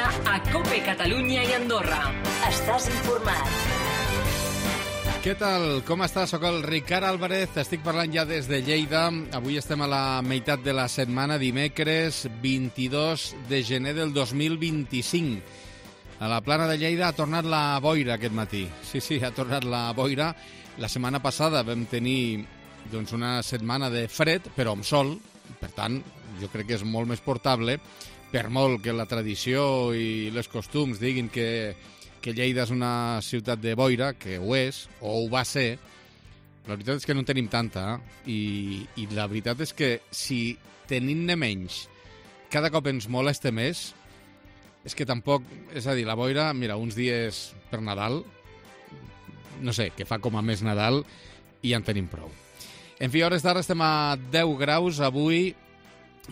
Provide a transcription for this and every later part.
Lleida a COPE Catalunya i Andorra. Estàs informat. Què tal? Com estàs? Soc el Ricard Álvarez, estic parlant ja des de Lleida. Avui estem a la meitat de la setmana, dimecres 22 de gener del 2025. A la plana de Lleida ha tornat la boira aquest matí. Sí, ha tornat la boira. La setmana passada vam tenir una setmana de fred, però amb sol. Per tant, jo crec que és molt més portable, per molt que la tradició i els costums diguin que Lleida és una ciutat de boira, que ho és, o ho va ser. La veritat és que no en tenim tanta, i la veritat és que si tenint-ne menys cada cop ens molesta més, és que tampoc, és a dir, la boira, mira, uns dies per Nadal, no sé, que fa com a més Nadal, i ja en tenim prou. En fi, a hores d'ara estem a 10 graus. Avui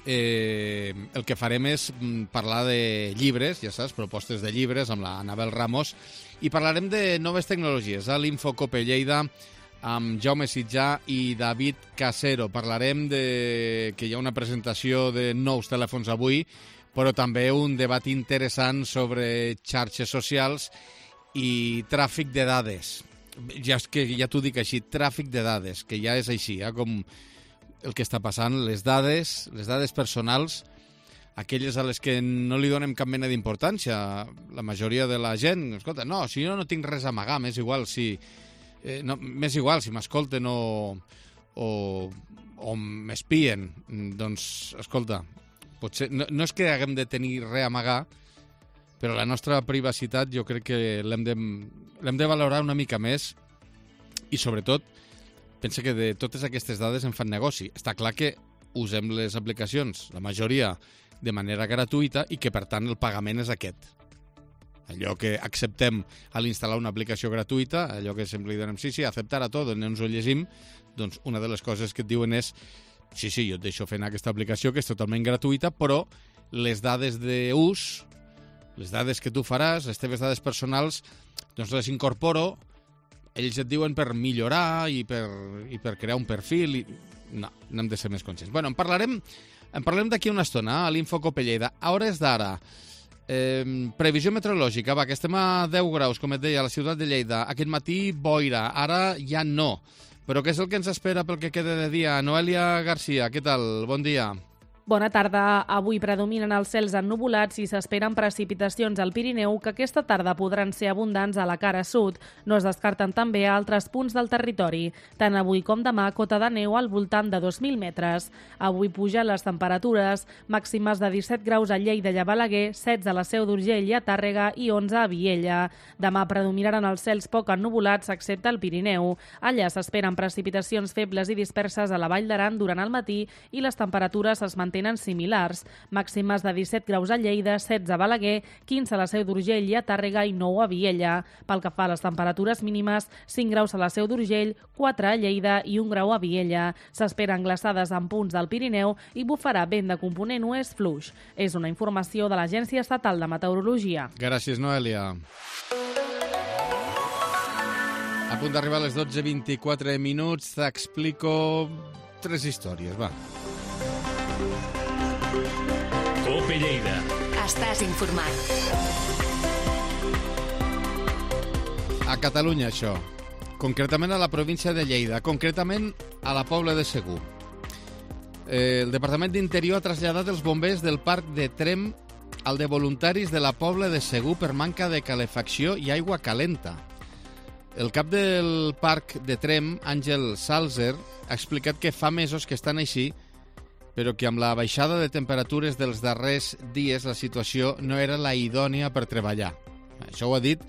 el que farem és parlar de llibres, ja saps, propostes de llibres amb la Anabel Ramos, i parlarem de noves tecnologies a l'Infocope Lleida amb Jaume Sitjà i David Casero. Parlarem que hi ha una presentació de nous telèfons avui, però també un debat interessant sobre xarxes socials i tràfic de dades. Ja t'ho dic així, tràfic de dades, que ja és així, com el que està passant, les dades personals, aquelles a les que no li donem cap mena d'importància. La majoria de la gent, escolta, no, si jo no tinc res a amagar, m'és igual si m'escolten o m'espien. Doncs, escolta, potser no és que haguem de tenir res a amagar, però la nostra privacitat jo crec que l'hem de valorar una mica més, i sobretot pensa que de totes aquestes dades en fan negoci. Està clar que usem les aplicacions, la majoria, de manera gratuïta, i que, per tant, el pagament és aquest. Allò que acceptem a l'instal·lar una aplicació gratuïta, allò que sempre li donem sí, acceptar a tot, on ens ho llegim, doncs una de les coses que et diuen és sí, jo et deixo fer aquesta aplicació, que és totalment gratuïta, però les dades d'ús, les dades que tu faràs, les teves dades personals, doncs les incorporo. Ells et diuen per millorar i per crear un perfil. No hem de ser més conscients. Bueno, en parlarem d'aquí una estona a l'Infocope Lleida. A hores d'ara, previsió meteorològica, que estem a 10 graus, com et deia, a la ciutat de Lleida. Aquest matí, boira. Ara ja no. Però què és el que ens espera pel que queda de dia? Noelia Garcia, què tal? Bon dia. Bona tarda. Avui predominen els cels ennuvolats i s'esperen precipitacions al Pirineu que aquesta tarda podran ser abundants a la cara sud. No es descarten també a altres punts del territori. Tant avui com demà, cota de neu al voltant de 2.000 metres. Avui pugen les temperatures, màximes de 17 graus a Lleida i a Balaguer, 16 a la Seu d'Urgell i a Tàrrega i 11 a Viella. Demà predominaran els cels poc ennuvolats, excepte al Pirineu. Allà s'esperen precipitacions febles i disperses a la Vall d'Aran durant el matí i les temperatures es mantenen similars, màximes de 17 graus a Lleida, 16 a Balaguer, 15 a la Seu d'Urgell i a Tàrrega i 9 a Viella. Pel que fa a les temperatures mínimes, 5 graus a la Seu d'Urgell, 4 a Lleida i 1 grau a Viella. S'esperen glaçades en punts del Pirineu i bufarà vent de component oest fluix. És una informació de l'Agència Estatal de Meteorologia. Gràcies, Noelia. A punt d'arribar a les 12:24 minuts, t'explico 3 històries, va. COPE Lleida. Estàs informat. A Catalunya, això. Concretament a la província de Lleida, concretament a la Pobla de Segur. El Departament d'Interior ha traslladat els bombers del parc de Tremp al de voluntaris de la Pobla de Segur per manca de calefacció i aigua calenta. El cap del parc de Tremp, Àngel Salzer, ha explicat que fa mesos que estan així, però que amb la baixada de temperatures dels darrers dies la situació no era la idònia per treballar. Això ho ha dit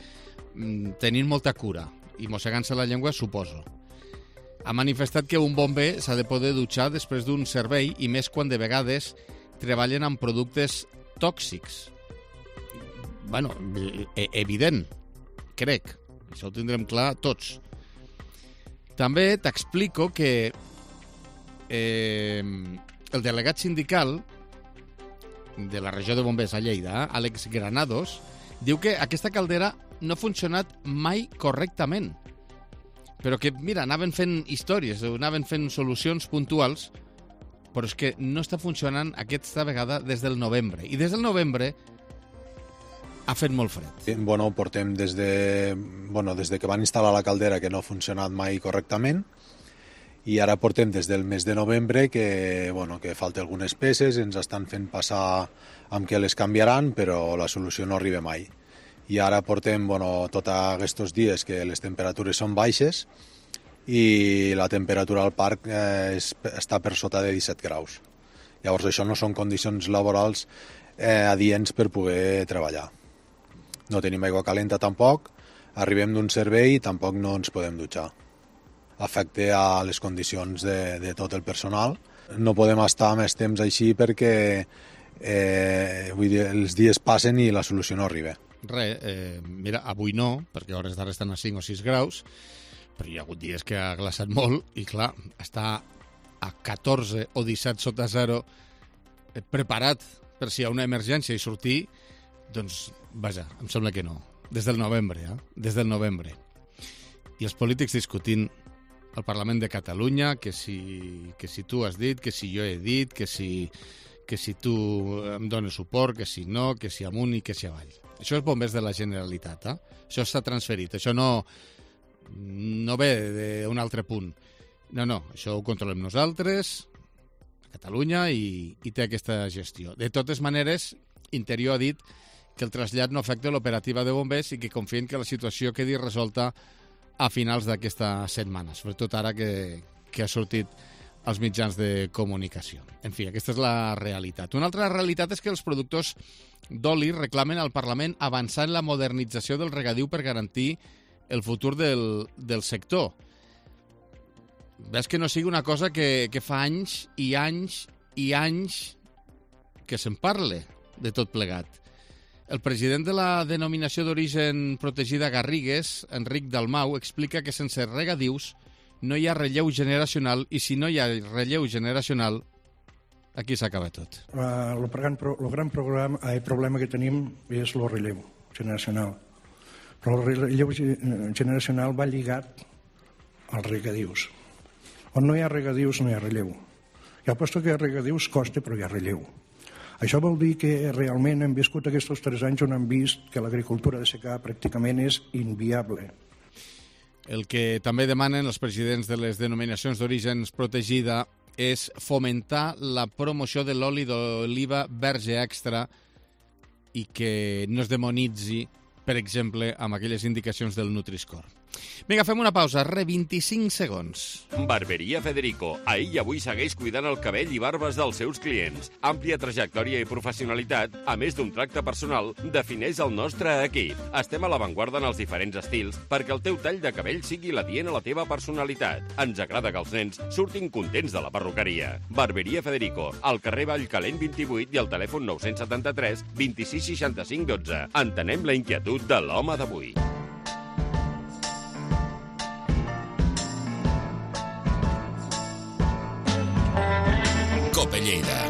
tenint molta cura i mossegant-se la llengua, suposo. Ha manifestat que un bomber s'ha de poder dutxar després d'un servei i més quan de vegades treballen amb productes tòxics. Bueno, evident, crec. Això ho tindrem clar tots. També t'explico que el delegat sindical de la regió de bombers a Lleida, Àlex Granados, diu que aquesta caldera no ha funcionat mai correctament, però que, mira, anaven fent històries, anaven fent solucions puntuals, però és que no està funcionant aquesta vegada des del novembre. I des del novembre ha fet molt fred. Bueno, portem des que van instal·lar la caldera, que no ha funcionat mai correctament, i ara portem des del mes de novembre que falta algunes peces, ens estan fent passar amb què les canviaran, però la solució no arriba mai. I ara portem tots aquests dies que les temperatures són baixes i la temperatura al parc està per sota de 17 graus. Llavors això no són condicions laborals adients per poder treballar. No tenim aigua calenta tampoc, arribem d'un servei i tampoc no ens podem dutxar. Afecta a les condicions de tot el personal. No podem estar més temps així perquè els dies passen i la solució no arriba. Mira, avui no, perquè a hores d'ara estan a 5 o 6 graus, però hi ha hagut dies que ha glaçat molt i, clar, està a 14 o 17 sota zero preparat per si hi ha una emergència i sortir, doncs, vaja, em sembla que no. Des del novembre, Des del novembre. I els polítics discutint al Parlament de Catalunya que si tu has dit, que si jo he dit, que si tu em dones suport, que si no, que si amunt i que si avall. Això és bombers de la Generalitat, Això s'ha transferit, això no ve d'un altre punt. No, això ho controlem nosaltres, a Catalunya, i té aquesta gestió. De totes maneres, Interior ha dit que el trasllat no afecta l'operativa de bombers i que confien que la situació quedi resolta a finals d'aquesta setmana, sobretot ara que ha sortit als mitjans de comunicació. En fi, aquesta és la realitat. Una altra realitat és que els productors d'oli reclamen al Parlament avançar en la modernització del regadiu per garantir el futur del sector. Ves que no sigui una cosa que fa anys i anys i anys que se'n parle de tot plegat. El president de la denominació d'origen protegida Garrigues, Enric Dalmau, explica que sense regadius no hi ha relleu generacional i si no hi ha relleu generacional, aquí s'acaba tot. El gran problema que tenim és el relleu generacional. Però el relleu generacional va lligat als regadius. On no hi ha regadius no hi ha relleu. Ja aposto que hi ha regadius costa, però hi ha relleu. Això vol dir que realment hem viscut aquests 3 anys on hem vist que l'agricultura de secà pràcticament és inviable. El que també demanen els presidents de les denominacions d'origen protegida és fomentar la promoció de l'oli d'oliva verge extra i que no es demonitzi, per exemple, amb aquelles indicacions del Nutri-Score. Vinga, fem una pausa, 25 segons. Barberia Federico. Ahir i avui segueix cuidant el cabell i barbes dels seus clients. Àmplia trajectòria i professionalitat, a més d'un tracte personal, defineix el nostre equip. Estem a l'avantguarda en els diferents estils perquè el teu tall de cabell sigui l'adient a la teva personalitat. Ens agrada que els nens surtin contents de la perruqueria. Barberia Federico, al carrer Vallcalent 28 i al telèfon 973 26 65 12. Entenem la inquietud de l'home d'avui. Lleida.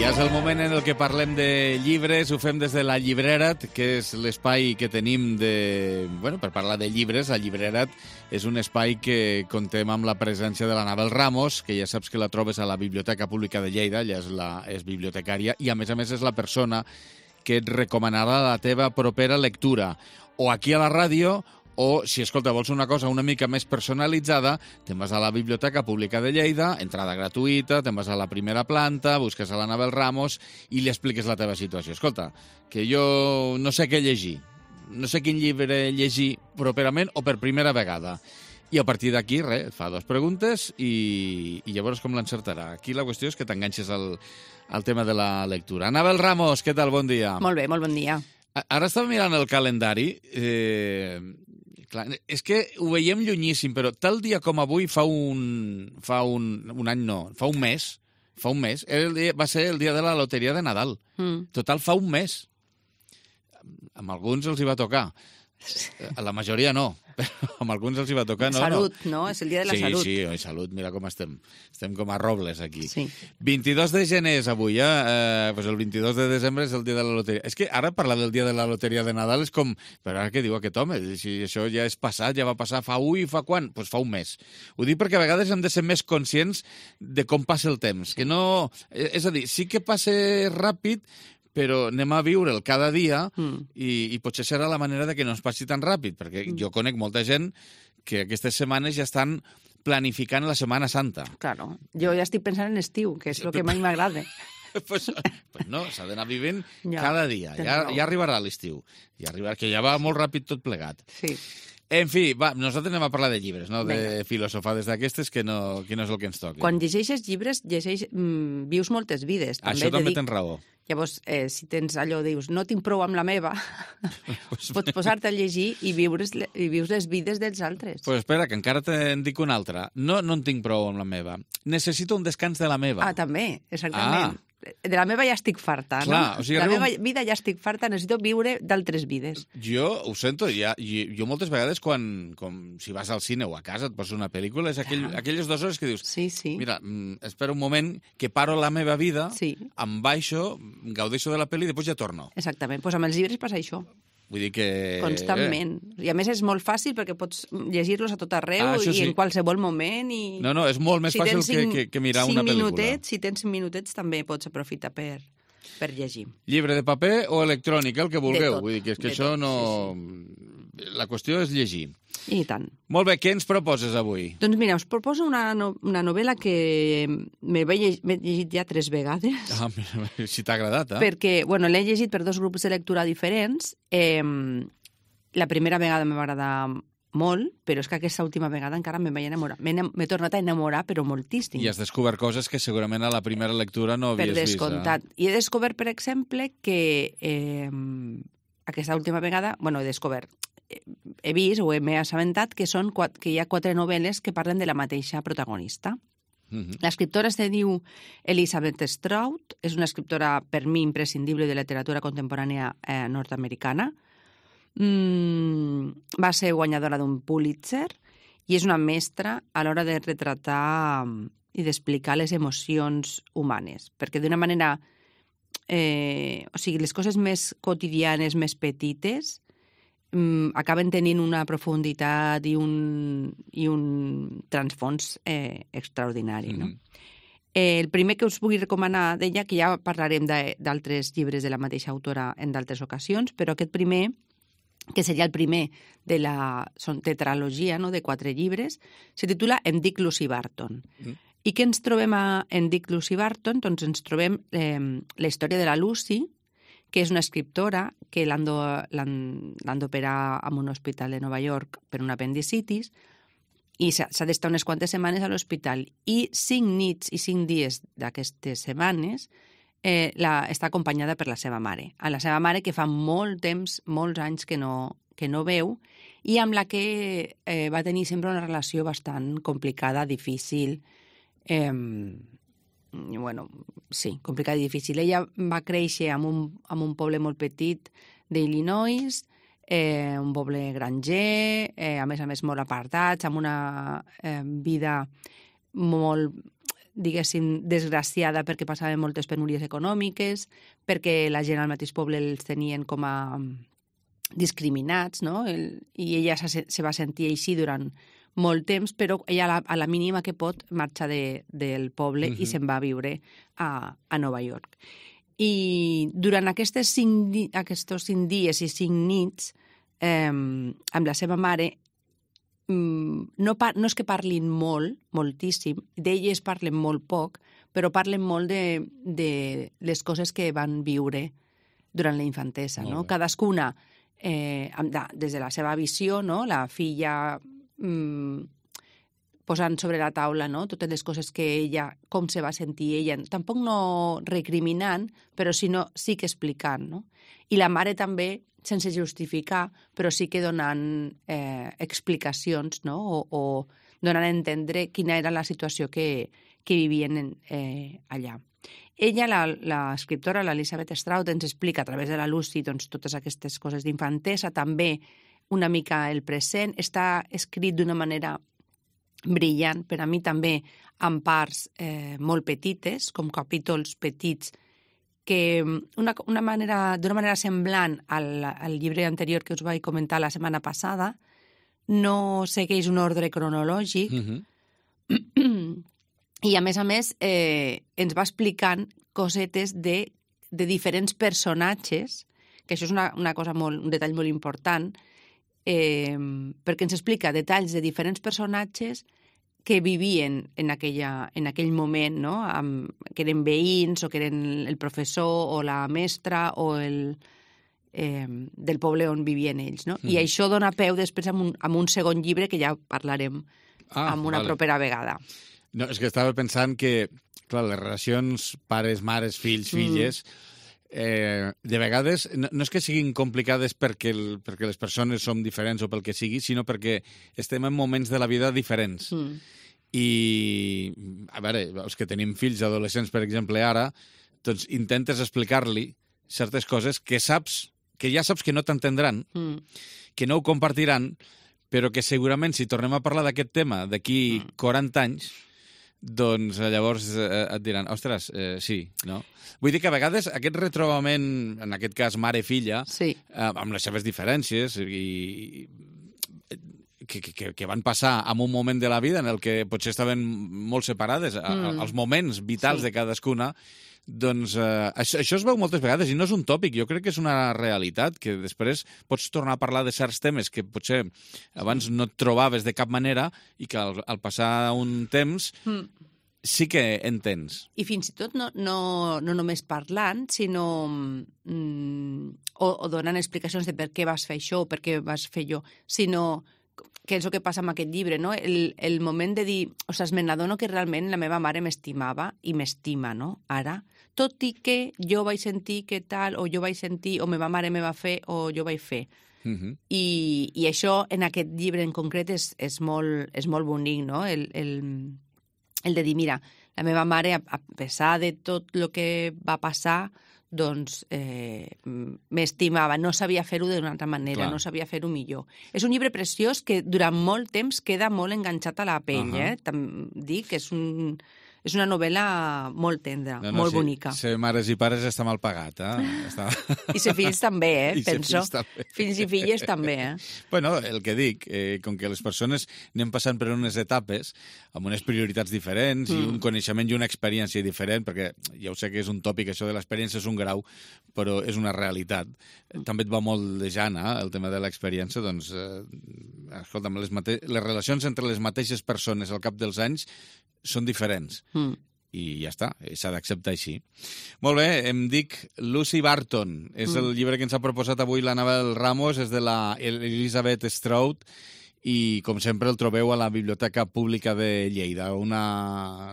Ja és el moment en el que parlem de llibres, ho fem des de la Llibrerat, que és l'espai que tenim per parlar de llibres. La Llibrerat és un espai que contem amb la presència de l'Anabel Ramos, que ja saps que la trobes a la Biblioteca Pública de Lleida, ella és bibliotecària, i a més és la persona que et recomanarà la teva propera lectura, o aquí a la ràdio, o, si, escolta, vols una cosa una mica més personalitzada, te'n vas a la Biblioteca Pública de Lleida, entrada gratuïta, te'n vas a la primera planta, busques a l'Anabel Ramos i li expliques la teva situació. Escolta, que jo no sé què llegir, no sé quin llibre llegir properament o per primera vegada. I a partir d'aquí, et fa 2 preguntes i llavors com l'encertarà. Aquí la qüestió és que t'enganxes al tema de la lectura. Anabel Ramos, què tal? Bon dia. Molt bé, molt bon dia. Ara estava mirant el calendari. Clar, és que ho veiem llunyíssim, però tal dia com avui fa un mes, va ser el dia de la loteria de Nadal. Total, fa un mes. Amb alguns els hi va tocar. A la majoria no, però amb alguns els hi va tocar. Salut, no? És el dia de la salut. Sí, salut, mira com estem. Estem com a robles aquí. Sí. 22 de gener és avui, pues el 22 de desembre és el dia de la loteria. És que ara parlar del dia de la loteria de Nadal és com... Però ara què diu aquest home? Si això ja és passat, ja va passar fa i fa quan? Doncs fa un mes. Ho dic perquè a vegades hem de ser més conscients de com passa el temps. Que no... És a dir, sí que passa ràpid, però anem a viure'l cada dia i potser serà la manera de que no ens passi tan ràpid, perquè jo conec molta gent que aquestes setmanes ja estan planificant la Setmana Santa. Claro, jo ja estic pensant en estiu, que és el que mai m'agrada. Pues no, s'ha d'anar vivint Ja, cada dia. Ja arribarà l'estiu. Ja arribarà, que ja va molt ràpid tot plegat. Sí. En fi, va, nosaltres anem a parlar de llibres, no de filosofades d'aquestes, que no és el que ens toca. Quan llegeixes llibres, vius moltes vides. Això també tens raó. Llavors, si tens allò, dius, no tinc prou amb la meva, pots posar-te a llegir i vius les vides dels altres. Pues espera, que encara te'n dic una altra. No en tinc prou amb la meva. Necessito un descans de la meva. Ah, també, exactament. De la meva ja estic farta, clar, no? De la meva vida ja estic farta, necessito viure d'altres vides. Jo ho sento, jo moltes vegades quan si vas al cine o a casa et poses una pel·lícula, és aquelles 2 hores que dius, mira, espera un moment que paro la meva vida, em baixo, gaudeixo de la pel·li i després ja torno. Exactament, doncs amb els llibres passa això. Vull dir que... Constantment. I a més és molt fàcil perquè pots llegir-los a tot arreu i en qualsevol moment. No, és molt més fàcil que mirar una pel·lícula. Si tens 5 minutets també pots aprofitar per llegir. Llibre de paper o electrònic, el que vulgueu. Vull dir que és que això no... La qüestió és llegir. I tant. Molt bé, què ens proposes avui? Doncs mira, us proposo una novel·la que m'he llegit ja 3 vegades. Ah, si t'ha agradat, eh? Perquè, bueno, l'he llegit per 2 grups de lectura diferents. La primera vegada em va agradar molt, però és que aquesta última vegada encara m'he enamorat. M'he tornat a enamorar, però moltíssim. I has descobert coses que segurament a la primera lectura no havies vist. Per descomptat. I he descobert, per exemple, que aquesta última vegada... Bueno, he vist o m'he assabentat que hi ha 4 novel·les que parlen de la mateixa protagonista. L'escriptora se diu Elizabeth Strout, és una escriptora per mi imprescindible de literatura contemporània nord-americana. Va ser guanyadora d'un Pulitzer i és una mestra a l'hora de retratar i d'explicar les emocions humanes, perquè d'una manera... o sigui, les coses més quotidianes, més petites, acaben tenint una profunditat i un transfons extraordinari. No? El primer que us vull recomanar d'ella, que ja parlarem d'altres llibres de la mateixa autora en d'altres ocasions, però aquest primer, que seria el primer de la tetralogia, no?, de 4 llibres, se titula Em dic Lucy Barton. I què ens trobem en Dick Lucy Barton? Doncs ens trobem la història de la Lucy, que és una escriptora que l'han d'operar en un hospital de Nova York per un apendicitis i s'ha d'estar unes quantes setmanes a l'hospital. I 5 nits i 5 dies d'aquestes setmanes està acompanyada per la seva mare. A la seva mare, que fa molt temps, molts anys que no veu, i amb la que va tenir sempre una relació bastant complicada, difícil, complicada i difícil. Ella va créixer en un poble molt petit d'Illinois, un poble granger, a més molt apartats, amb una vida molt, diguéssim, desgraciada perquè passaven moltes penúries econòmiques, perquè la gent al mateix poble els tenien com a discriminats, no? I ella se va sentir així durant molt temps, però ella a la mínima que pot marxa del poble i se'n va a viure a Nova York. I durant aquests 5 dies i 5 nits amb la seva mare no és que parlin moltíssim, d'elles parlen molt poc, però parlen molt de les coses que van viure durant la infantesa. No? Cadascuna, des de la seva visió, no? La filla posant sobre la taula, no?, totes les coses que ella, com se va sentir ella, tampoc no recriminant, però sí que explicant, no? I la mare també, sense justificar, però sí que donant explicacions, no?, o donant a entendre quina era la situació que vivien allà. Ella, l'escriptora, l'Elizabeth Strout, ens explica a través de la Lucy doncs, totes aquestes coses d'infantesa, també una mica el present, està escrit d'una manera brillant, per a mi també en parts molt petites, com capítols petits, que d'una manera semblant al llibre anterior que us vaig comentar la setmana passada, no segueix un ordre cronològic, i a més ens va explicant cosetes de de diferents personatges, que això és un detall molt important, perquè ens explica detalls de diferents personatges que vivien en aquell moment, no? Que eren veïns o que eren el professor o la mestra o del poble on vivien ells. No? I això dona peu després amb un segon llibre que ja parlarem amb una propera vegada. No, és que estava pensant que, clar, les relacions pares, mares, fills, filles, de vegades no és que siguin complicades perquè les persones som diferents o pel que sigui, sinó perquè estem en moments de la vida diferents. I, a veure, els que tenim fills adolescents, per exemple, ara, doncs intentes explicar-li certes coses que ja saps que no t'entendran, que no ho compartiran, però que segurament si tornem a parlar d'aquest tema d'aquí 40 anys, doncs llavors et diran, ostres, sí, no? Vull dir que a vegades aquest retrobament, en aquest cas mare-filla, amb les seves diferències i que van passar en un moment de la vida en el que potser estaven molt separades, els moments vitals de cadascuna, doncs això es veu moltes vegades i no és un tòpic, jo crec que és una realitat, que després pots tornar a parlar de certs temes que potser abans no et trobaves de cap manera i que al passar un temps sí que entens. I fins i tot no només parlant, sinó o donant explicacions de per què vas fer això o per què vas fer allò, sinó que és el que passa amb aquest llibre, no? El moment de dir, ostres, me n'adono que realment la meva mare m'estimava i m'estima, no? Ara, tot i que jo vaig sentir que tal, o jo vaig sentir, o meva mare me va fer, o jo vaig fer. I això, en aquest llibre en concret, és molt bonic, no? El de dir, mira, la meva mare, a pesar de tot el que va passar, doncs m'estimava, no sabia fer-ho d'una altra manera, no sabia fer-ho millor. És un llibre preciós que durant molt temps queda molt enganxat a la pell, dic que és una novel·la molt tendra, molt bonica. Ser mares i pares està mal pagat, I ser fills també, penso. Fills i filles també, Bueno, el que dic, com que les persones anem passant per unes etapes amb unes prioritats diferents i un coneixement i una experiència diferent, perquè ja ho sé que és un tòpic, això de l'experiència és un grau, però és una realitat. També et va molt de Jana, el tema de l'experiència, doncs, escolta'm, les relacions entre les mateixes persones al cap dels anys són diferents. I ja està, s'ha d'acceptar així. Molt bé, em dic Lucy Barton. És el llibre que ens ha proposat avui l'Anabel Ramos, és de la Elisabeth Strout, i com sempre el trobeu a la Biblioteca Pública de Lleida.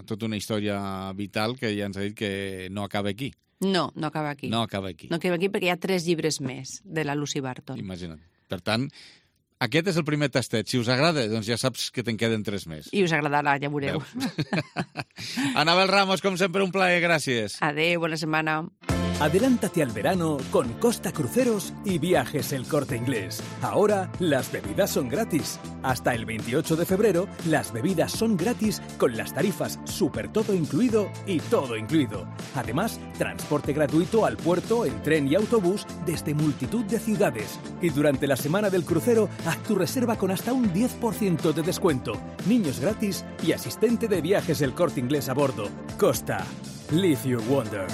Tota una història vital que ja ens ha dit que no acaba aquí. No acaba aquí. No acaba aquí. No acaba aquí perquè hi ha 3 llibres més de la Lucy Barton. Imagina't. Per tant, aquest és el primer tastet. Si us agrada, doncs ja saps que te'n queden 3 més. I us agradarà, ja veureu. Anabel Ramos, com sempre, un plaer. Gràcies. Adéu, bona setmana. Adelántate al verano con Costa Cruceros y Viajes El Corte Inglés. Ahora las bebidas son gratis. Hasta el 28 de febrero las bebidas son gratis con las tarifas Super Todo Incluido y Todo Incluido. Además, transporte gratuito al puerto en tren y autobús desde multitud de ciudades. Y durante la semana del crucero, haz tu reserva con hasta un 10% de descuento. Niños gratis y asistente de Viajes El Corte Inglés a bordo. Costa. Live your wonder.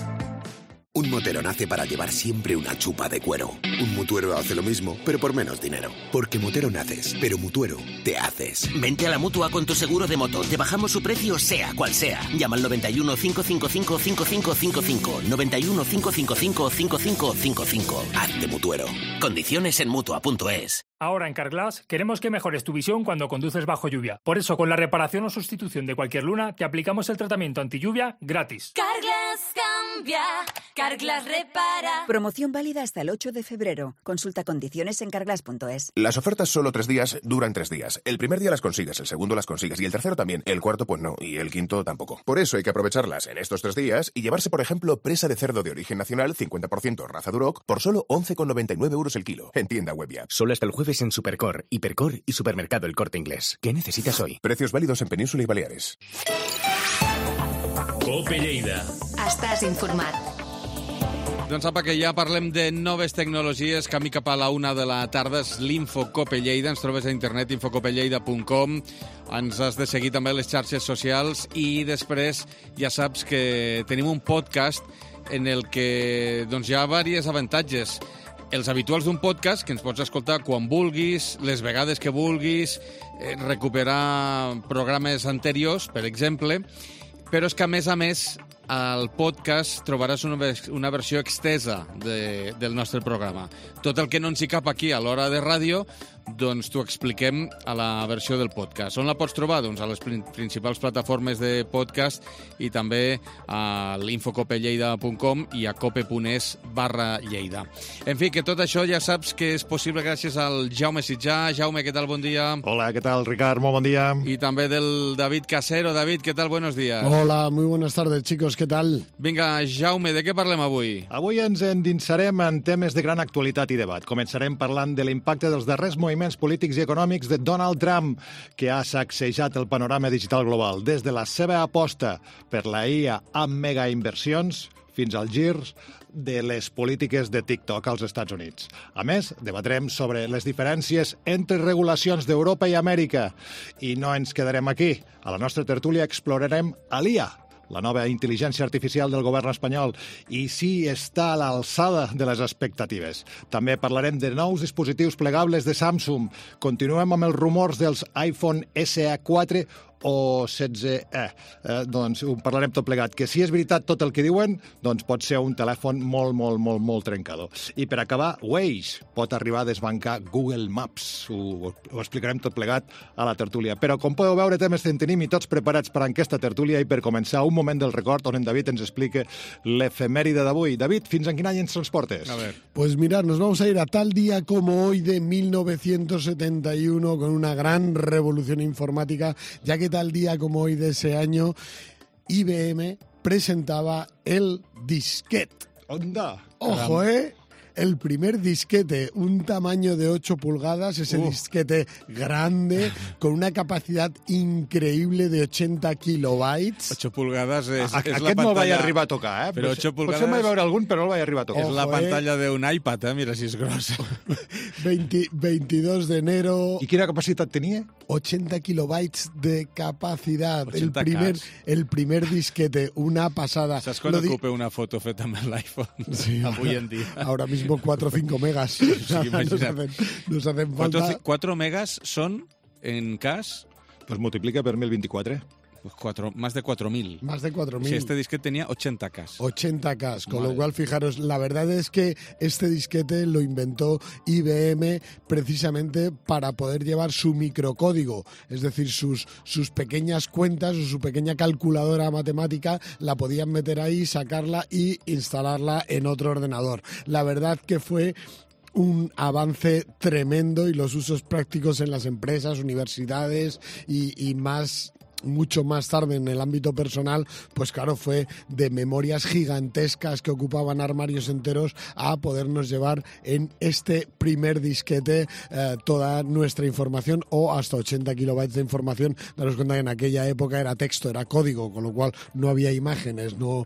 Un motero nace para llevar siempre una chupa de cuero. Un mutuero hace lo mismo, pero por menos dinero. Porque motero naces, pero mutuero te haces. Vente a la Mutua con tu seguro de moto. Te bajamos su precio sea cual sea. Llama al 91 555 5555. 91 555 5555. Hazte mutuero. Condiciones en Mutua.es. Ahora en Carglass queremos que mejores tu visión cuando conduces bajo lluvia. Por eso, con la reparación o sustitución de cualquier luna, te aplicamos el tratamiento anti-lluvia gratis. Carglass cambia, Carglass repara. Promoción válida hasta el 8 de febrero. Consulta condiciones en carglass.es. Las ofertas solo 3 días, duran 3 días. El primer día las consigues, el segundo las consigues y el tercero también. El cuarto pues no, y el quinto tampoco. Por eso hay que aprovecharlas en estos 3 días y llevarse, por ejemplo, presa de cerdo de origen nacional, 50% raza Duroc, por solo 11,99 euros el kilo. En tienda web ya. Solo hasta el jueves en Supercor, Hipercor y Supermercado El Corte Inglés. ¿Qué necesitas hoy? Precios válidos en Península y Baleares. Cope Lleida. Estàs informat. Doncs apa, que ja parlem de noves tecnologies. Camí cap a la 1 de la tarda és l'Infocope Lleida. Ens trobes a internet, infocopelleida.com. Ens has de seguir també a les xarxes socials i després ja saps que tenim un podcast en el que doncs, hi ha diversos avantatges. Els habituals d'un podcast, que ens pots escoltar quan vulguis, les vegades que vulguis, recuperar programes anteriors, per exemple, però és que, a més, al podcast trobaràs una versió extesa del nostre programa. Tot el que no ens hi cap aquí a l'hora de ràdio, doncs t'ho expliquem a la versió del podcast. On la pots trobar? Doncs a les principals plataformes de podcast i també a l'infocopelleida.com i a cope.es/Lleida. En fi, que tot això ja saps que és possible gràcies al Jaume Sitjà. Jaume, què tal? Bon dia. Hola, ¿qué tal, Ricard? Muy buen día. Y también del David Casero. David, ¿qué tal? Buenos días. Hola, muy buenas tardes, chicos. ¿Qué tal? Vinga, Jaume, de què parlem avui? Avui ens endinsarem en temes de gran actualitat i debat. Començarem parlant de l'impacte dels darrers moviments polítics i econòmics de Donald Trump, que ha sacsejat el panorama digital global, des de la seva aposta per la IA amb megainversions fins als girs de les polítiques de TikTok als Estats Units. A més, debatrem sobre les diferències entre regulacions d'Europa i Amèrica. I no ens quedarem aquí. A la nostra tertúlia explorarem l'IA, la nova intel·ligència artificial del govern espanyol, i si està a l'alçada de les expectatives. També parlarem de nous dispositius plegables de Samsung. Continuem amb els rumors dels iPhone SE 4 o 16E. Doncs ho parlarem tot plegat, que si és veritat tot el que diuen, doncs pot ser un telèfon molt trencador. I per acabar, Waze pot arribar a desbancar Google Maps. Ho explicarem tot plegat a la tertúlia. Però com podeu veure, temes en tenim i tots preparats per a aquesta tertúlia, i per començar, un moment del record on en David ens explica l'efemèride d'avui. David, fins en quin any ens transportes? A ver. Pues mirad, nos vamos a ir a tal día como hoy de 1971 con una gran revolución informática, ya que tal día como hoy de ese año, IBM presentaba el disquete. ¡Onda! ¡Ojo, el primer disquete, un tamaño de 8 pulgadas, ese disquete grande, con una capacidad increíble de 80 kilobytes. 8 pulgadas és la Aquest pantalla... no el vaig arribar a tocar, eh? Però 8 pulgadas... Potser vaig veure algun, però no el vaig arribar a tocar. És la pantalla d'un iPad, mira si és grossa. 22 de enero... I quina capacitat tenia? 80 kilobytes de capacidad. 80K. El primer disquete, una pasada. Saps quan ocupa una foto feta amb l'iPhone? Sí, avui en dia. Ahora mismo 4 o 5 megas. Sí, imagina't. Nos hacen falta... 4 megas son, en cas... Pues multiplica per 1024. Pues más de 4.000. Más de 4.000. Si este disquete tenía 80K. 80K, con lo cual, fijaros, la verdad es que este disquete lo inventó IBM precisamente para poder llevar su microcódigo, es decir, sus pequeñas cuentas o su pequeña calculadora matemática, la podían meter ahí, sacarla y instalarla en otro ordenador. La verdad que fue un avance tremendo, y los usos prácticos en las empresas, universidades y mucho más tarde en el ámbito personal, pues claro, fue de memorias gigantescas que ocupaban armarios enteros a podernos llevar en este primer disquete toda nuestra información, o hasta 80 kilobytes de información. Daros cuenta que en aquella época era texto, era código, con lo cual no había imágenes, no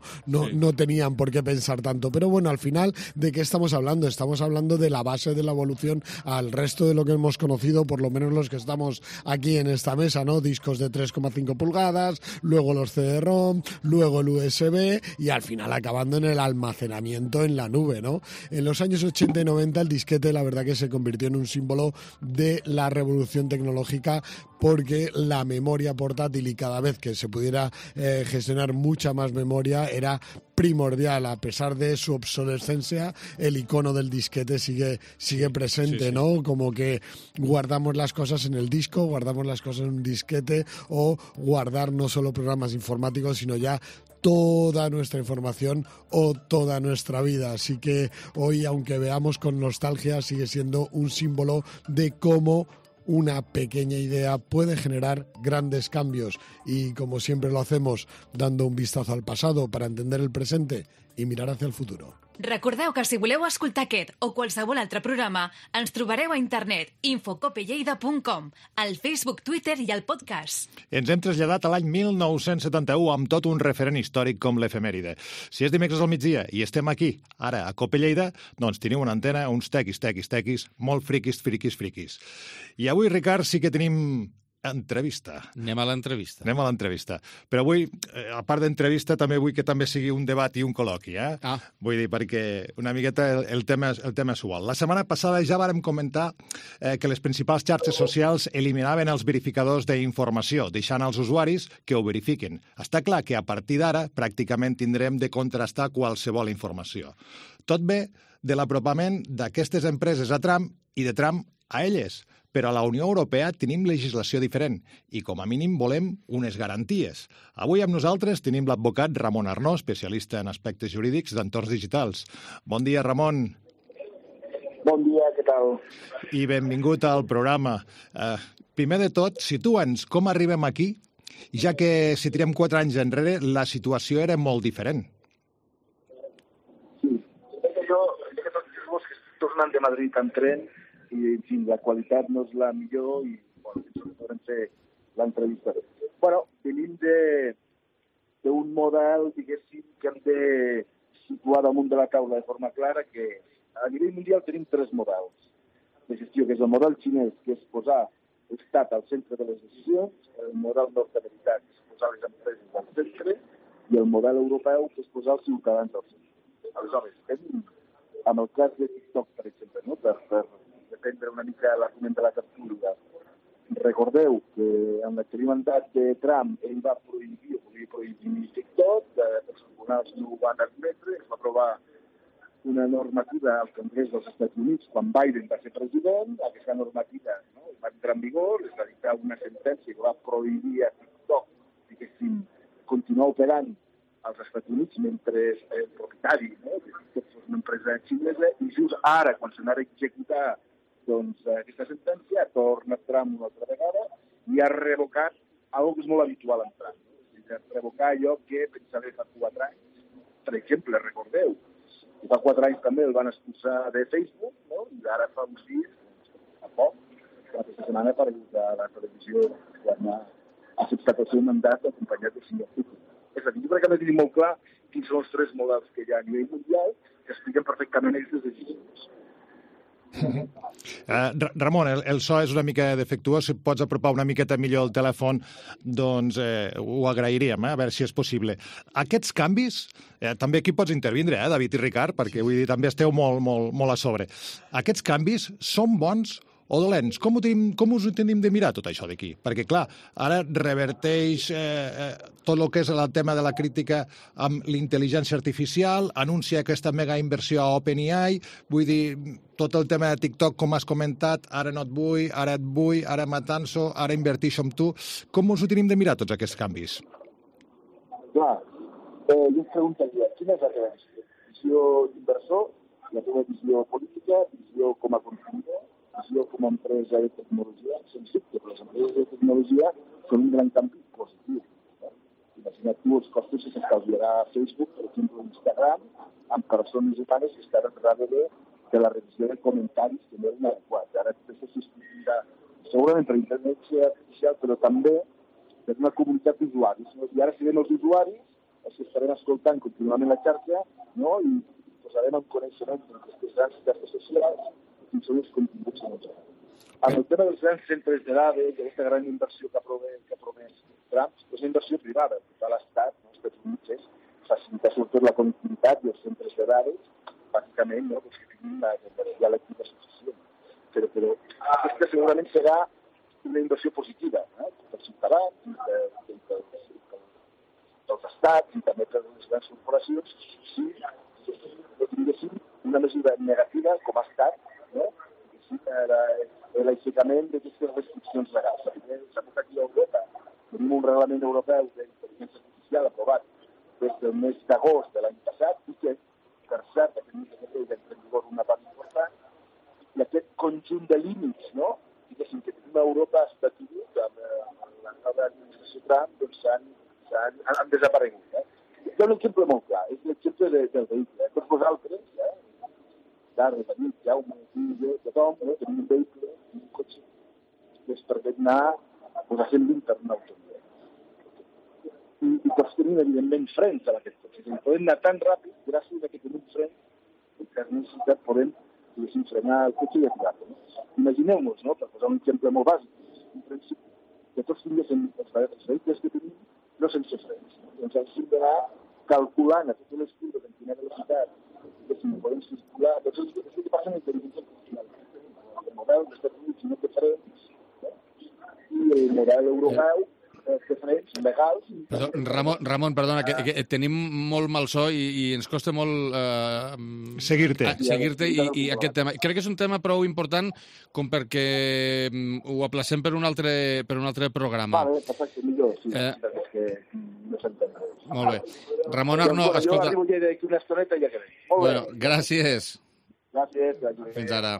tenían por qué pensar tanto. Pero bueno, al final, ¿de qué estamos hablando? Estamos hablando de la base de la evolución al resto de lo que hemos conocido, por lo menos los que estamos aquí en esta mesa, ¿no? Discos de 3,5 pulgadas, luego los CD-ROM, luego el USB, y al final acabando en el almacenamiento en la nube, ¿no? En los años 80 y 90 el disquete, la verdad que se convirtió en un símbolo de la revolución tecnológica, porque la memoria portátil, y cada vez que se pudiera gestionar mucha más memoria, era primordial. A pesar de su obsolescencia, el icono del disquete sigue presente, sí. ¿No? Como que guardamos las cosas en el disco, guardamos las cosas en un disquete, o guardar no solo programas informáticos, sino ya toda nuestra información o toda nuestra vida. Así que hoy, aunque veamos con nostalgia, sigue siendo un símbolo de cómo una pequeña idea puede generar grandes cambios, y como siempre lo hacemos, dando un vistazo al pasado para entender el presente i mirar hacia el futuro. Recordeu que si voleu escoltar aquest o qualsevol altre programa, ens trobareu a internet infocopelleida.com, al Facebook, Twitter i al podcast. Ens hem traslladat a l'any 1971 amb tot un referent històric com l'efemèride. Si és dimecres al migdia i estem aquí, ara, a Cope Lleida, doncs teniu una antena, uns tequis, molt friquis. I avui, Ricard, sí que tenim entrevista. Anem a l'entrevista. Anem a l'entrevista. Però avui, a part d'entrevista, també vull que també sigui un debat i un col·loqui, eh? Vull dir, perquè una miqueta el tema és igual. La setmana passada ja vàrem comentar que les principals xarxes socials eliminaven els verificadors d'informació, deixant als usuaris que ho verifiquin. Està clar que a partir d'ara pràcticament tindrem de contrastar qualsevol informació. Tot ve de l'apropament d'aquestes empreses a Trump i de Trump a elles. Però a la Unió Europea tenim legislació diferent i, com a mínim, volem unes garanties. Avui amb nosaltres tenim l'advocat Ramon Arnó, especialista en aspectes jurídics d'entorns digitals. Bon dia, Ramon. Bon dia, què tal? I benvingut al programa. Primer de tot, situa'ns com arribem aquí, ja que si tirem 4 anys enrere la situació era molt diferent. Sí, jo que estic tornant de Madrid en tren i, en fi, la qualitat no és la millor i, bueno, podrem fer l'entrevista. Bueno, venim d'un model, diguéssim, que hem de situar damunt de la taula de forma clara, que a nivell mundial tenim 3 models de gestió, que és el model xinès, que és posar l'estat al centre de les decisions, el model nord-americà, que és posar les empreses al centre, i el model europeu, que és posar els ciutadans al centre. Aleshores, amb el cas de TikTok, per exemple, no? Per dependre una mica l'argument de la tertúlia. Recordeu que en l'exterior mandat de Trump ell va prohibir, o volia prohibir TikTok, els tribunals no ho van admetre, es va aprovar una normativa al Congrés dels Estats Units quan Biden va ser president, aquesta normativa va entrar en vigor, es va dictar una sentència que va prohibir a TikTok, diguéssim, continuar operant als Estats Units mentre el propietari de TikTok fos una empresa xinesa, i just ara, quan s'anava a executar aquesta sentència, torna Trump una altra vegada i ha revocat algo que és molt habitual en Trump. Revocar allò que pensava fa 4 anys. Per exemple, recordeu, fa 4 anys també el van expulsar de Facebook, no? I ara fa uns dies, fa poc, aquesta setmana ha aparegut a la televisió quan ha acceptat el seu mandat acompanyat del senyor Putin. És a dir, jo crec que hem de tenir molt clar quins són els 3 models que hi ha a nivell mundial que expliquen perfectament aquestes decisions. Ramon, el so és una mica defectuós. Si pots apropar una miqueta millor el telèfon, doncs ho agrairíem, a veure si és possible. Aquests canvis, també aquí pots intervindre, David i Ricard, perquè vull dir, també esteu molt a sobre. Aquests canvis són bons o dolents? Com us ho tenim de mirar tot això d'aquí? Perquè, clar, ara reverteix tot el que és el tema de la crítica amb l'intel·ligència artificial, anuncia aquesta mega inversió a OpenAI, vull dir, tot el tema de TikTok, com has comentat, ara no et vull, ara et vull, ara m'atanso, ara inverteixo amb tu. Com us ho tenim de mirar tots aquests canvis? Clar, jo et preguntaria, quina és la teva visió d'inversor, la teva visió política, visió com a consumidor, visió com a empresa de tecnologia? Sens dubte, però les empreses de tecnologia són un gran canvi positiu. Imagina't tu els costos que s'estalviarà a Facebook, per exemple, Instagram, amb persones humanes que estaran darrere de la revisió de comentaris que no eren adequats. Ara això se substituirà segurament per intel·ligència artificial, però també per una comunitat d'usuaris. I ara serem els usuaris els que estarem escoltant contínuament la xarxa, no? I posarem en coneixement d'aquestes grans xarxes socials quins són els continguts que ens agraden. En el tema dels grans centres de dades, d'aquesta gran inversió que ha promès Trump, és una inversió privada. Tot l'Estat, els Estats Units, és facilitar sobretot la connectivitat i els centres de dades, bàsicament, no? Que tinguin la lectura suficient. Però aquesta segurament serà una inversió positiva, pels ciutadans, dels estats i també per les grans corporacions, si tinguéssim una mesura negativa com ha estat, no? L'aixecament d'aquestes restriccions legals. S'ha posat aquí a Europa. Tenim un reglament europeu d'intel·ligència artificial aprovat des del mes d'agost de l'any passat i que, per cert, aquest mes de febrer ja en vigor una part important, i aquest conjunt de límits, no? Diguéssim, que tenim a Europa a Estats Units, amb la nova administració Trump, doncs han desaparegut. Hi ha un exemple molt clar, és l'exemple del vehicle. Tots vosaltres, Carles, amics, Jaume, jo, tothom, tenim un vehicle, un cotxe, que es permet anar a 120 per una autovia. I tots tenim, evidentment, frens a aquest cotxe. Podem anar tan ràpid, gràcies a que tenim frens, que per necessitat podem frenar el cotxe i aturar-lo. Imagineu-nos, per posar un exemple molt bàsic, un principi, que tots tinguessin els vehicles que tenim no sense frens. Doncs hem d'anar calculant a totes les curves en quina velocitat que si no podem circular. Doncs és el que passa amb l'intel·ligència artificial. El model d'Estats Units no té frens i el model europeu té frens legals. Ramon, perdona, que tenim molt mal so i ens costa molt seguir-te i aquest tema. Crec que és un tema prou important com perquè ho aplacem per un altre programa. Vale, perfecte, millor, sí. És que no s'entén res. Molt bé. Ramon Arnó, escolta... Jo arribo ja d'aquí una estoneta i ja quedé. Bueno, gràcies. Gràcies. Fins ara.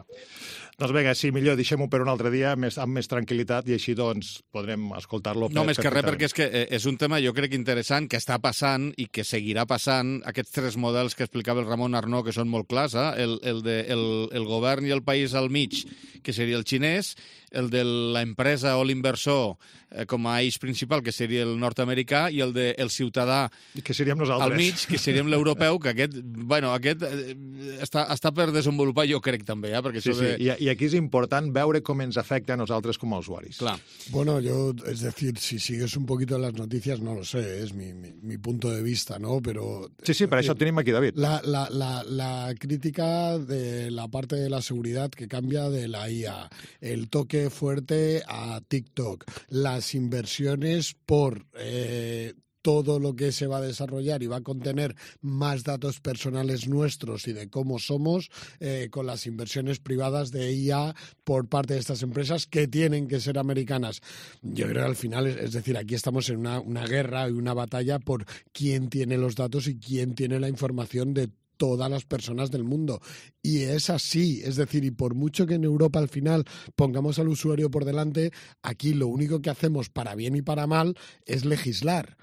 Doncs vinga, sí, millor deixem-ho per un altre dia amb més tranquil·litat i així doncs podrem escoltar-lo. No, més que res, perquè és que és un tema jo crec interessant que està passant i que seguirà passant. Aquests tres models que explicava el Ramon Arnó, que són molt clars, el govern i el país al mig, que seria el xinès, el de l'empresa o l'inversor com a eix principal, que seria el nord-americà, i el del ciutadà que seríem nosaltres al mig, que seríem l'europeu, que aquest està per desenvolupar, jo crec també, perquè sí, sí. I aquí és important veure com ens afecta a nosaltres com a usuaris. Clar. Bueno, es decir, si sigues un poquito las noticias, no lo sé, es mi punto de vista, ¿no? Pero... Sí, per això tenim aquí David. La crítica de la parte de la seguridad que cambia de la IA, el toque fuerte a TikTok, las inversiones por todo lo que se va a desarrollar y va a contener más datos personales nuestros y de cómo somos con las inversiones privadas de IA por parte de estas empresas que tienen que ser americanas. Yo creo que al final, es decir, aquí estamos en una guerra y una batalla por quién tiene los datos y quién tiene la información de todas las personas del mundo. Y es así, es decir, y por mucho que en Europa al final pongamos al usuario por delante, aquí lo único que hacemos para bien y para mal es legislar.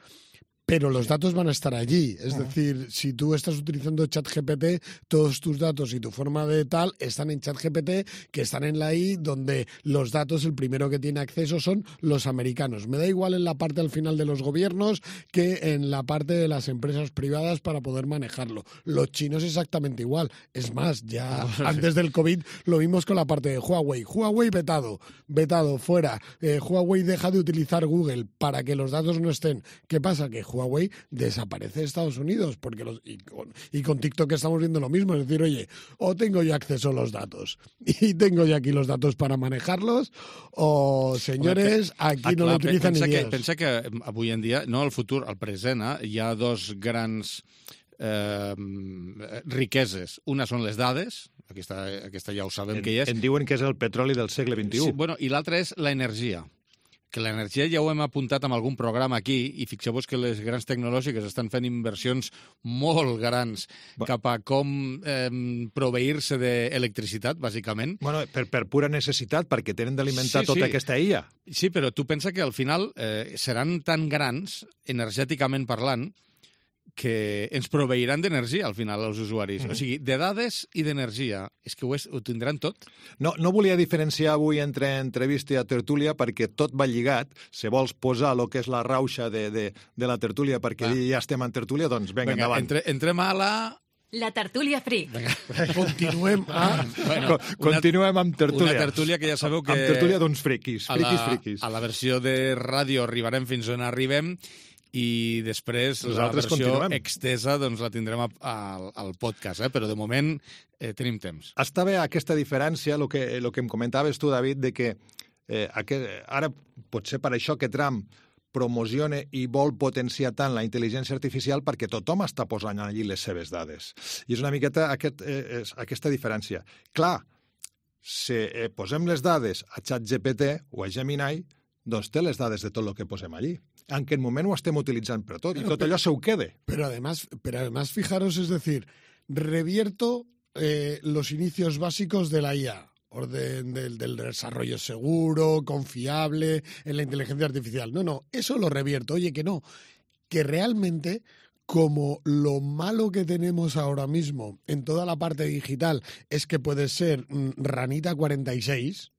Pero los datos van a estar allí. Es decir, si tú estás utilizando ChatGPT, todos tus datos y tu forma de tal están en ChatGPT, que están en la I, donde los datos, el primero que tiene acceso son los americanos. Me da igual en la parte al final de los gobiernos que en la parte de las empresas privadas para poder manejarlo. Los chinos exactamente igual. Es más, ya antes del COVID lo vimos con la parte de Huawei. Huawei vetado, fuera. Huawei deja de utilizar Google para que los datos no estén. ¿Qué pasa? Que Huawei desaparece de Estados Unidos y con TikTok estamos viendo lo mismo, es decir, oye, o tengo yo acceso a los datos y tengo yo aquí los datos para manejarlos, o senyores, aquí no l'utilitzen ni Dios. Pensa que avui en dia, no al futur, al present, hi ha dos grans riqueses. Una són les dades, aquesta ja ho sabem que hi és. En diuen que és el petroli del segle XXI. Sí, bueno, i l'altra és l'energia. Que l'energia ja ho hem apuntat en algun programa aquí, i fixeu-vos que les grans tecnològiques estan fent inversions molt grans cap a com proveir-se d'electricitat, bàsicament. Bueno, per pura necessitat, perquè tenen d'alimentar tota aquesta illa. Sí, però tu pensa que al final seran tan grans, energèticament parlant, que ens proveiran d'energia, al final, als usuaris. O sigui, de dades i d'energia. És que ho tindran tot. No volia diferenciar avui entre entrevista i tertúlia perquè tot va lligat. Si vols posar el que és la rauxa de la tertúlia perquè ja estem en tertúlia, doncs vinga, endavant. Entrem a La tertúlia free. Continuem Continuem amb tertúlia. Una tertúlia que ja sabeu que... Amb tertúlia d'uns friquis. A la versió de ràdio arribarem fins on arribem, i després la versió extesa doncs la tindrem al podcast, però de moment tenim temps. Està bé aquesta diferència, el que em comentaves tu, David, de que ara potser per això que Trump promociona i vol potenciar tant la intel·ligència artificial perquè tothom està posant allí les seves dades. I és una miqueta aquesta diferència. Clar, si posem les dades a ChatGPT o a Gemini, doncs té les dades de tot el que posem allí. En aquest moment ho estem utilitzant per tot, i tot allò se ho quede. Pero además, fijaros, es decir, revierto los inicios básicos de la IA, orden del desarrollo seguro, confiable, en la inteligencia artificial. No, eso lo revierto. Oye, que no, que realmente, como lo malo que tenemos ahora mismo en toda la parte digital es que puede ser Ranita 46...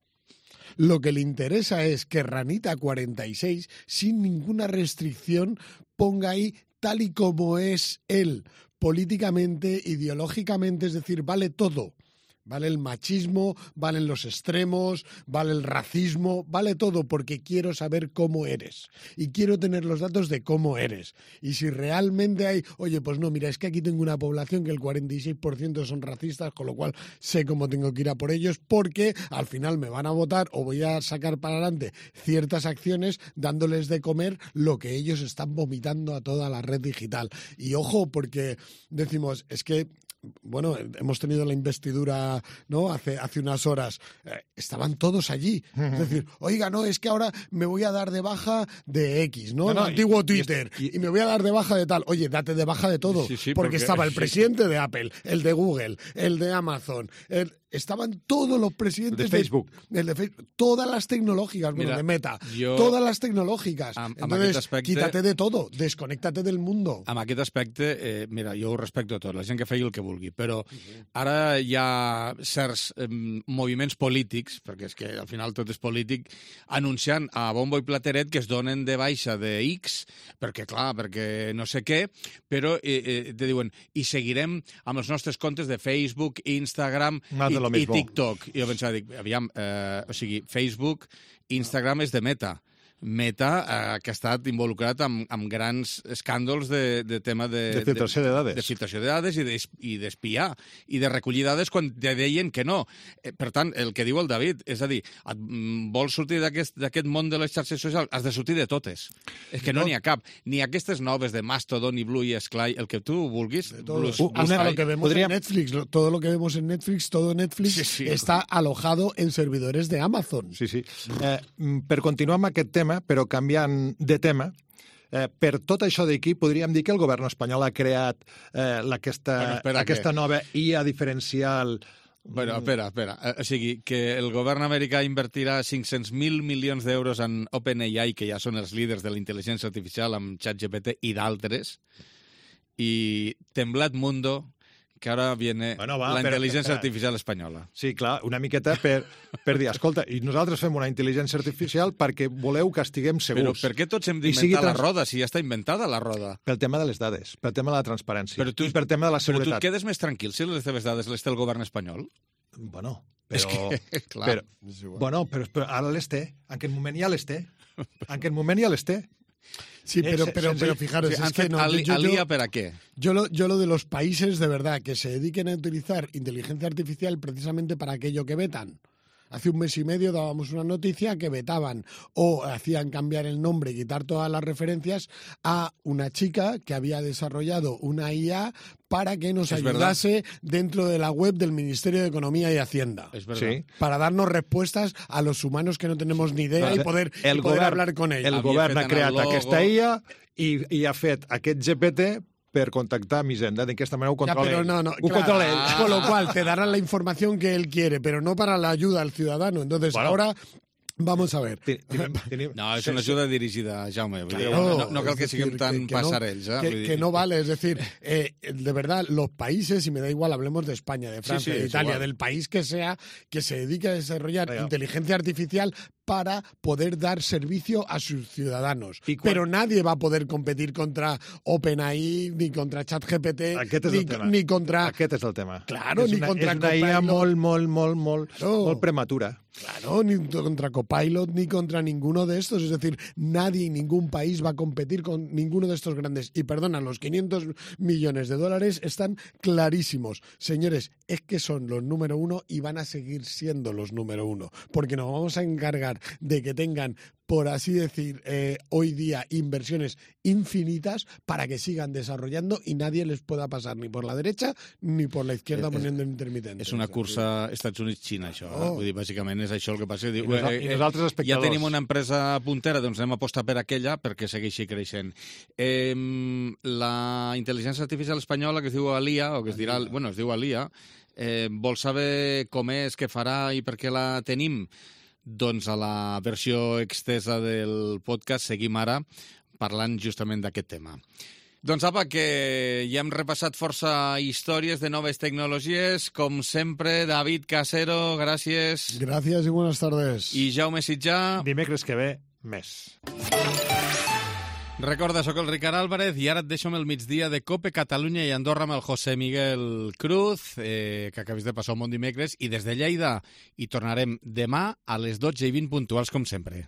Lo que le interesa es que Ranita 46, sin ninguna restricción, ponga ahí tal y como es él, políticamente, ideológicamente, es decir, vale todo. Vale el machismo, valen los extremos, vale el racismo, vale todo, porque quiero saber cómo eres y quiero tener los datos de cómo eres. Y si realmente hay, oye, pues no, mira, es que aquí tengo una población que el 46% son racistas, con lo cual sé cómo tengo que ir a por ellos, porque al final me van a votar o voy a sacar para adelante ciertas acciones dándoles de comer lo que ellos están vomitando a toda la red digital. Y ojo, porque decimos, es que bueno, hemos tenido la investidura, ¿no? Hace unas horas. Estaban todos allí. Es decir, oiga, no, es que ahora me voy a dar de baja de X, ¿no? El antiguo Twitter. Y me voy a dar de baja de tal. Oye, date de baja de todo. Sí, porque estaba el presidente de Apple, el de Google, el de Amazon, estaban todos los presidentes de Facebook. Todas las tecnológicas, bueno, de Meta, todas las tecnològiques. Entonces, quítate de todo, desconéctate del mundo. Amb aquest aspecte, mira, jo ho respecto tot, la gent que faci el que vulgui, però ara hi ha certs moviments polítics, perquè és que al final tot és polític, anunciant a bombo i plateret que es donen de baixa de X, perquè clar, perquè no sé què, però te diuen, i seguirem amb els nostres comptes de Facebook, Instagram i TikTok. I jo pensava, aviam, o sigui, Facebook, Instagram és de Meta. Meta, que ha estat involucrat amb grans escàndols de tema de filtració de dades. De filtració de dades i d'espiar i de recollir dades quan te deien que no. Per tant, el que diu el David, és a dir, vols sortir d'aquest món de les xarxes socials? Has de sortir de totes. És que no n'hi ha cap. Ni aquestes noves de Mastodon i Blue i Sky, el que tu vulguis. Hasta lo que vemos en Netflix, todo lo que vemos en Netflix, todo Netflix está alojado en servidores de Amazon. Sí. Per continuar amb aquest tema, però canviant de tema, per tot això d'aquí podríem dir que el govern espanyol ha creat aquesta nova IA diferencial. Bueno, espera. O sigui, que el govern americà invertirà 500.000 milions d'euros en OpenAI, que ja són els líders de la intel·ligència artificial, amb ChatGPT i d'altres, i Temblat Mundo, que ara viene la intel·ligència artificial espanyola. Sí, clar, una miqueta per dir, escolta, i nosaltres fem una intel·ligència artificial perquè voleu que estiguem segurs. Però per què tots hem d'inventar la roda, si ja està inventada la roda? Pel tema de les dades, pel tema de la transparència i pel tema de la seguretat. Però tu et quedes més tranquil si les teves dades les té el govern espanyol? Bueno, però ara les té. En aquest moment ja les té. Sí, pero fijaros, es que no, ¿Alía para qué? Yo lo de los países, de verdad, que se dediquen a utilizar inteligencia artificial precisamente para aquello que vetan. Hace un mes y medio dábamos una noticia que vetaban o hacían cambiar el nombre y quitar todas las referencias a una chica que había desarrollado una IA para que nos ayudase dentro de la web del Ministerio de Economía y Hacienda. Es verdad. Sí. Para darnos respuestas a los humanos que no tenemos ni idea y poder hablar con ellos. El govern ha creat aquesta IA i ha fet aquest GPT per contactar a Hisenda, d'aquesta manera ho controla ell. Controla ell. Con lo cual, te darán la información que él quiere, pero no para la ayuda al ciudadano. Entonces, ahora... Vamos a ver. No, es una ayuda dirigida, Jaume. No cal que siguem tan passarells. Que no vale, es decir, de verdad, los países, y me da igual, hablemos de España, de Francia, de Italia, del país que sea, que se dedique a desarrollar inteligencia artificial para poder dar servicio a sus ciudadanos. Pero nadie va a poder competir contra OpenAI, ni contra ChatGPT, ni contra... Aquest és el tema. Claro, ni contra Copilot. És una IA molt prematura. Claro, ni contra Copilot, ni contra ninguno de estos. Es decir, nadie, ningún país va a competir con ninguno de estos grandes. Y perdona, los 500 millones de dólares están clarísimos. Señores, es que son los número uno y van a seguir siendo los número uno. Porque nos vamos a encargar de que tengan, por así decir, hoy día inversiones infinitas para que sigan desarrollando y nadie les pueda pasar ni por la derecha ni por la izquierda poniendo intermitente. És una cursa Estats Units-Xina, això. Vull dir, bàsicament és això el que passa. I nosaltres espectadors. Ja tenim una empresa puntera, doncs anem a apostar per aquella perquè segueixi creixent. La intel·ligència artificial espanyola, que es diu Alía, o que es dirà, bueno, es diu Alía, vol saber com és, què farà i per què la tenim? Doncs a la versió extesa del podcast seguim ara parlant justament d'aquest tema. Doncs apa, que ja hem repassat força històries de noves tecnologies. Com sempre, David Casero, gràcies. Gràcies i buenas tardes. I Jaume Sitjà. Dimecres que ve, més. Recorda, sóc el Ricard Álvarez i ara et deixo amb el migdia de COPE Catalunya i Andorra amb el José Miguel Cruz, que acabis de passar un bon dimecres, i des de Lleida hi tornarem demà a les 12:20 puntuals, com sempre.